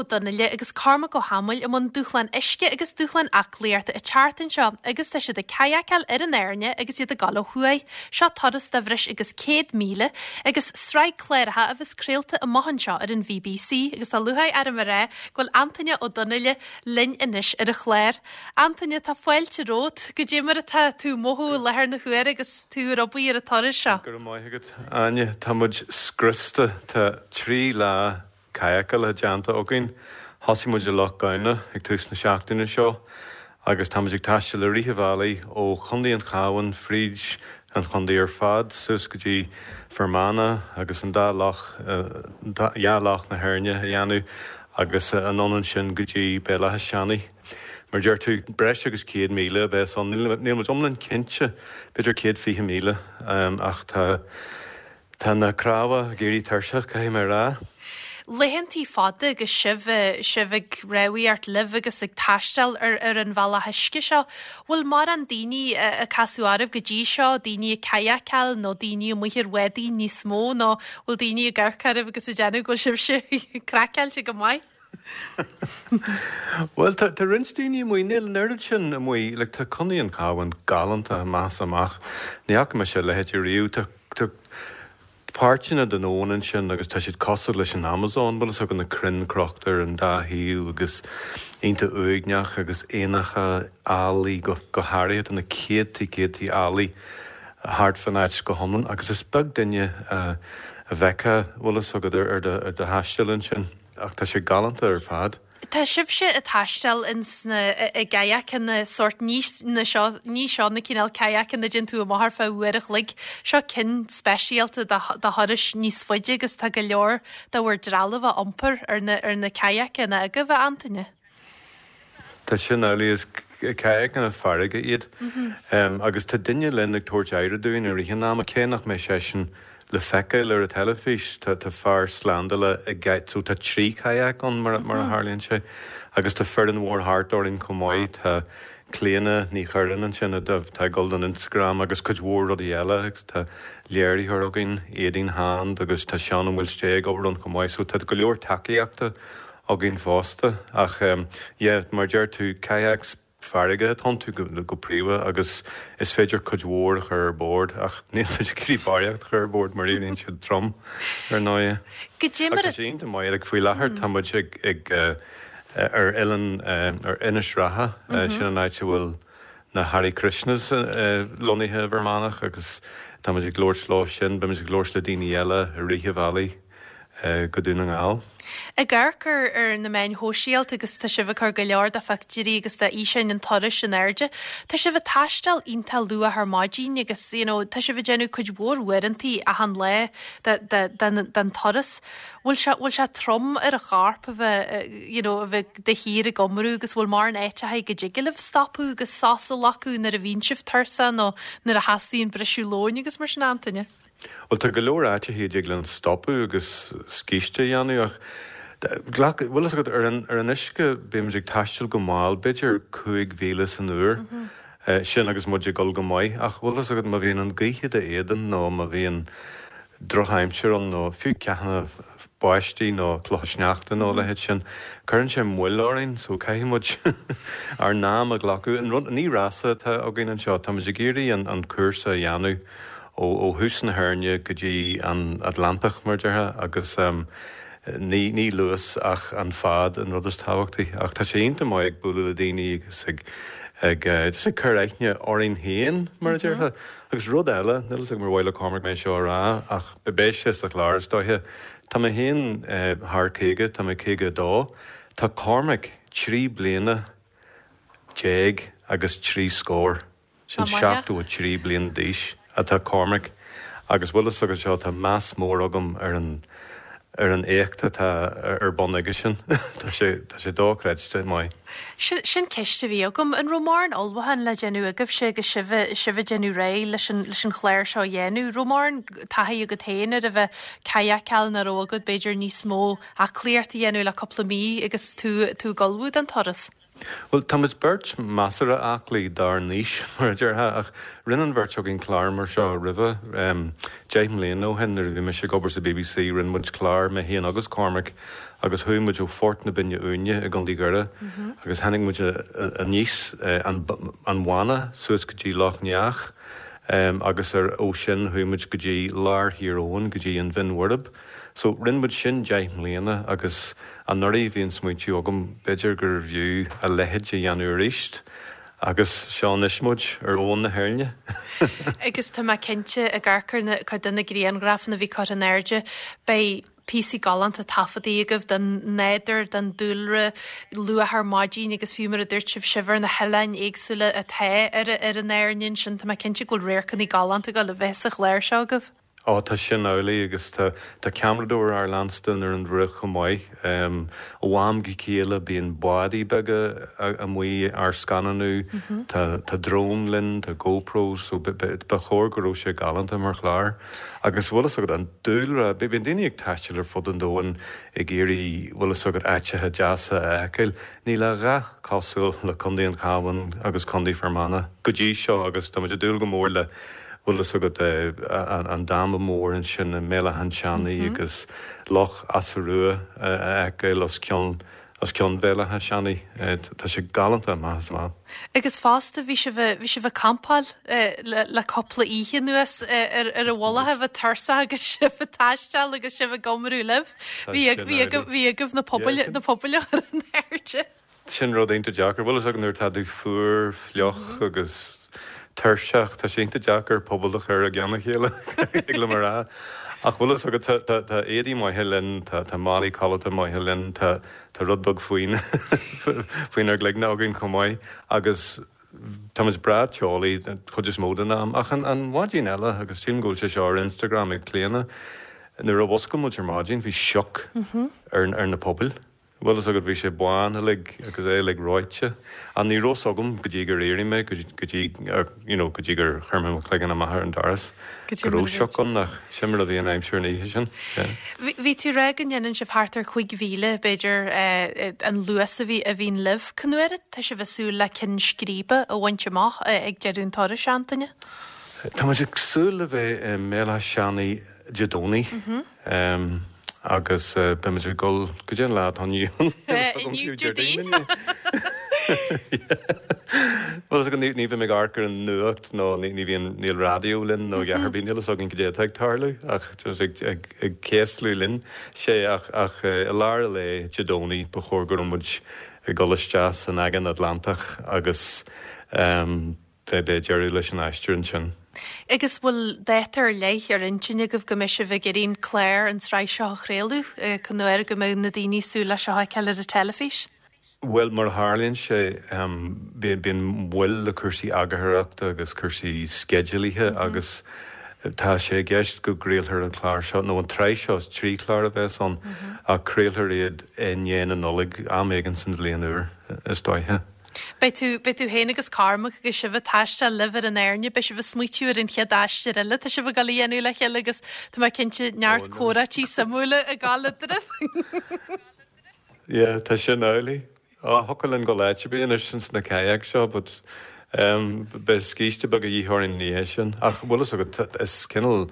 Ó Donnaile agus Cormac Ó hAdhmaill i mbun dúshlán uisce agus dúshlán aclaíochta an tseachtain seo agus tá siad ag cadhacáil ar an Éirne agus iad ag dul ó thuaidh. Seo turas de bhreis agus 100 míle agus sraith cláracha a bheas craolta amach anseo ar an bhBC agus tá lúcháir orm a rá go bhfuil Antaine Ó Donnaile linn anois ar an chlár. Antaine, tá fáilte romhat. Goidé mar atá tú ag mothú i láthair na huaire agus tú ar obair ar an turas seo? Go raibh maith agat, Áine. Tá muid scriosta. Tá 3 lá cadhacála déanta againn. Thosaigh muid i Loch Gamhna ag tús na seachtaine seo agus tá muid ag taisteal i rith an bhealaigh ó Chontae an Chabháin fríd an chontae ar fad suas go dtí Fermanagh agus an dá loch, dhá loch na hÉirne a dhéanamh agus anonn ansin go dtí Béal Átha Seanaidh. Mar a deir tú, breis agus 100,000 a bheas ann. Níl muid iomlán cinnte, b'fhéidir 120,000 ach tá Tá na cnámha ag éirí tuirseach, caithfidh mé a rá. Laethantaí fada agus sibh, sibh ag rámhaíocht libh agus ag taisteal ar, ar an bhealach uisce seo. Bhfuil mórán daoine a casadh oraibh go dtí seo, daoine ag cadhacáil nó daoine amuigh ar bhádaí níos mó nó bhfuil daoine ag amharc oraibh agus ag déanamh go bhfuil sibhse craiceáilte go maith? Bhuel, tá, tá roinnt daoine amuigh, níl an oiread sin amuigh, like tá Contae an Chabháin galánta amach is amach, ní fhaca mise a leithéid ariamh, tá, tá páirteanna den abhainn ansin agus tá siad cosúil leis an Amazon, bhfuil fhios agat na crainn crochta ar an dá thaobh agus iontach uaigneach agus éanacha, ealaí go, go háirithe, tá na céadtaí, céadtaí ealaí thart fán áit go hiomlán agus is beag duine a, a bhfeicfeá, bhfuil fhios agat, ar, ar do, ar do thaisteal ansin. Ach tá sé galánta ar fad. Tá sibhse ag taisteal ins na i gcadhacanna sórt ní na seo ní seo na cineál cadhacanna a dtéann tú amach ar feadh uair a chloig. Seo cinn speisialta do do thurais níos faide agus tá go leor de bhur dtrealamh á iompar ar na ar na cadhacanna agaibh, a Antaine. Tá sin amhlaidh, is cadhacanna farraige iad agus tá duine linn ag tabhairt aire dúinn i rith an ama, cé nach mbeidh seisean le feiceáil ar an teilifís, tá fear slándála i gach, so tá 3 kayak ann mar a tharlaíonn sé agus tá foireann mhór thart orainn chomh maith, tá Clíona Ní Churráin ansin atá ag dul don Instagram agus cuid mhór rudaí eile agus tá léiritheoir againn, Aideen Hand agus tá Seán Ó Maoilsté ag obair ann chomh maith so tá go leor tacaíochta againn fosta. Ach yeah, mar a deir tú, kayaks farraige atá iontu go príomha agus is féidir cuid mhór a chur ar bord ach níl muid ag iarraidh barraíocht a chur ar bord mar éiríonn siad trom, ar ndóigh. Ach tá sé iontach maith, like faoi láthair tá muid ag, ag, ar oileán, ar Inis Rátha, sin an áit a bhfuil na Hare Krishnas lonnaithe i bhFear Manach agus tá muid ag labhairt leo sin, beidh muid ag labhairt le daoine eile i rith an bhealaigh. go Dún na nGall. Ag amharc ar na meáin shóisialta agus tá sibh ag cur go leor de phictiúirí agus de fhíseáin an turais in airde. Tá sibh ag taisteal iontach luath ar maidin agus you know tá sibh ag déanamh cuid mhór uaireantaí achan lá de, de, den, den turas. Bhfuil sé, bhfuil sé trom ar an chorp a bheith you know a bheith de shíor ag iomrú agus bhfuil mórán áiteacha go dtig libh stopadh agus sos a ghlacadh nuair a bhíonn sibh tuirseach nó nuair a theastaíonn briseadh lóin agus mar sin, Antaine? Bhuel, tá go leor áiteachaí a dtig linn stopadh agus scíste a dhéanamh ach glac, bhfuil fhios agat, ar an, ar an uisce bímid ag taisteal go mall, b'fhéidir 5,000 san uair, sin agus muid ag dul go maith ach bhfuil fhios agat má bhíonn an ghaoth i d'éadan nó má bhíonn drochaimsir ann nó fiú ceathanna báistí nó clocha sneachta nó a leithéid sin, cuireann sé moill orainn so caithfidh muid ár n-am a ghlacadh. An rud, ní rása atá againn anseo, táimid ag iarraidh an, an cúrsa a dhéanamh ó thús na hÉirne go dtí an Atlantach, mar a déarfá, agus ní, ní luas ach an fad an rud is tábhachtaí. Ach tá sé iontach maith ag bualadh le daoine agus ag, ag, just ag cur aithne orainn féin, mar a déarfá. Agus rud eile, níl fhios agam ar mhaith le Cormac mé seo a rá, ach beidh sé sa chlár is dóiche, tá mé féin thar 50, tá mé 52, tá Cormac 13 bliana agus trí scór. Sin 73 bliana d'aois atá Cormac agus bhfuil fhios agat seo, tá meas mór agam ar an ar an éacht atá ar bun aigesean. Tá sé tá sé dochreidte maith. Sin sin ceist a bhí agam. An raibh mórán ullmhúcháin le déanamh agaibhse agus sibh sibh ag déanamh réidh leis an leis an chlár seo a dhéanamh? Raibh mórán taithí agat féin ar a bheith cadhacáil nó raibh agat b'fhéidir níos mó aclaíocht a dhéanamh le cúpla mí agus tú tú ag ullmhú don turas? Bhuel, tá muid beirt measartha aclaí dár n-aois, mar a déarfá, ach rinne an bheirt againn clár mar seo roimhe. 10 mbliana ó shin, nuair a bhí mise ag obair sa bbc, rinne muid clár, mé féin agus Cormac, Agus chuaigh muid ó Phort na Binne Uaine i gContae Dhoire agus tháinig muid aníos an Bhanna suas go dtí Loch nEach agus ar ó sin chuaigh muid go dtí lár Thír Eoghain go dtí an Bhinn Bhoirb. So rinne muid sin deich mbliana agus anuraidh bhí an smaointiú agam b'fhéidir gurbh fhiú a leithéid a dhéanamh arís agus seo anois muid ar abhainn na hÉirne. Agus tá mé cinnte ag amharc ar na cuid de na grianghrafanna a bhí curtha in airde, beidh píosaí galánta taifeadtaí agaibh den nádúr, den dúlra, luath ar maidin agus fiú mar a dúirt sibh, sibh ar na hoileáin éagsúla atá ar ar an Éirne ansin, tá mé cinnte go bhfuil radharcanna galánta ag dul a bheith sa chlár seo agaibh. Ó, tá sin amhlaidh agus tá tá ceamaradóir ár leanstan ar an bhruach chomh maith. Ó am go chéile bíonn bádaí beaga amuigh ár scannánú, tá tá drón linn, tá GoPros, so ba chóir go raibh sé galánta mar chlár. Agus bhfuil fhios agat, an dúlra, bíonn daoine ag taisteal ar fud an domhain ag iarraidh, bhfuil fhios agat, áiteacha deasa a fheiceáil. Níl a dhath cosúil le Contae an Chabháin agus Contae Fear Manach go dtí seo agus tá muid ag dúil go mór le bhfuil fhios agat, an damhna mór ansin i mBéal Átha an tSeanaidh agus Loch Easa Rua a fheiceáil os cionn, os cionn Bhéal Átha Seanaidh. Tá sé galánta amach is amach. Agus fosta bhí sibh, bhí sibh ag campáil le, le cúpla oíche anuas ar, ar an mhullach a bheith tuirseach agus sibh ag taisteal agus sibh ag iomrú libh. Bhí, bhí agaibh, bhí agaibh na pubaill, na pubaill a chur in airde. Sin rud iontach deacair. Bhfuil fhios agat nuair atá tú fuar, fliuch agus tuirseach, tá sé iontach deacair puball a chur i gceann a chéile, thig liom a rá. Ach bhfuil fhios agat, tá, tá éadaí maithe linn, tá, tá málaí codlata maithe linn, tá, tá rud beag faoin, faoinár gcloigne againn chomh maith agus tá muid breá teolaí an chuid is mó den am. Ach an, an mhaidin eile, agus sílim go bhfuil sé seo ar Instagram ag Clíona, nuair a mhuscail muid ar maidin bhí sioc ar, ar na pubaill. Bhfuil fhios agat, bhí sé bán uilig agus é uilig reoite. Ach ní raibh fhios agam go dtí gur éirigh mé, go dtí, you know, go dtí gur chuir mé mo chloigeann amach ar an doras go raibh sioc ann ach sin mar a bhí an aimsir an oíche sin. Yeah. Bhí tú ag rá go ndéanann sibh thart ar 5,000, b'fhéidir, an luas a bhí, a bhíonn libh. Cén uair atá sibh ag súil le ceann scríbe a bhaint amach ag deireadh an turais, Antaine? Tá muid ag súil le bheith i mBéal Átha Seanaidh Dé Domhnaigh. Agus beimid ag dul go dtí an lá atá inniu ann. Inniu, Déardaoin. Bhuel, ní bhím ag amharc ar an nuacht nó ní bhíonn, níl raidió linn nó a dhath ar bith, níl fhios againn cad é atá ag tarlú ach just ag ag céaslú linn. Sé ach ach i lár an lae Dé Domhnaigh ba chóir go raibh muid ag dul isteach san Aigéan Atlantach agus Beidh deireadh leis an aistear ansin. Agus bhfuil dáta ar leith ar intinn agaibh go mbeidh sibh ag iarraidh an clár, an tsraith seo a chraoladh? Cén uair go mbeidh na daoine ag súil le seo a fheiceáil ar an teilifís? Bhuel, mar a tharlaíonn sé, bíonn moill le cúrsaí eagarthóireachta agus cúrsaí sceidealaithe agus tá sé i gceist go gcraolfar an clár seo, nó an tsraith seo, is trí chlár a bheas ann, ach craolfar iad i ndiaidh na Nollag, am éigin san bhliain úr, is dóiche. Beidh tú, beidh tú féin agus Cormac agus sibh ag taisteal libh ar an Éirne, beidh sibh ag smaoitiú ar an chéad aistear eile atá sibh ag dul a dhéanamh le chéile agus tá mé cinnte neart comhráití suimiúla ag dul eadraibh. Yeah, tá sin amhlaidh. Á, thiocfadh linn dul áit ar bith anois ins na kayak seo but ehm beidh scíste beag a dhíth orainn ina dhiaidh sin. Ach bhfuil fhios agat, is cineál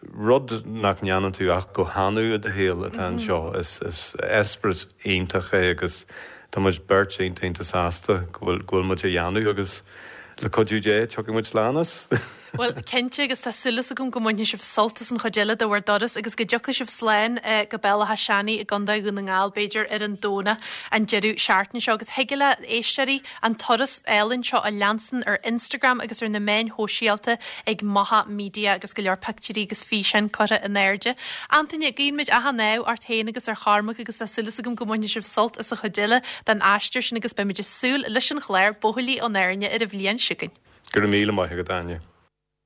Rud nach ndéanann tú ach go hannamh i do shaol atá anseo. Is eispéireas iontach é agus tá muid beirt iontach iontach sásta go bhfuil go bhfuil muid á dhéanamh agus le cuidiú Dé tiocfaidh muid slán as. Bhuel, cinnte agus tá súil agam go mbainfidh sibh sult as an chuid eile de bhur dturas agus go dtiocfaidh sibh slán go Béal Átha Seanaidh i gContae Dhún na nGall b'fhéidir ar an Domhnach an deireadh seachtaine seo agus thig le éisteoirí an turas álainn seo a leanstan ar Instagram agus ar na meáin shóisialta ag Macha Media agus go leor pictiúirí agus físeáin curtha in airde. Antaine, guíonn muid achan ádh ort féin agus ar Chormac agus tá súil agam go mbainfidh sibh sult as an chuid eile den aistear sin agus beimid ag súil leis an chlár Buachaillí ón Éirne ar an bhliain seo chugainn. Go raibh míle maith agat, Áine.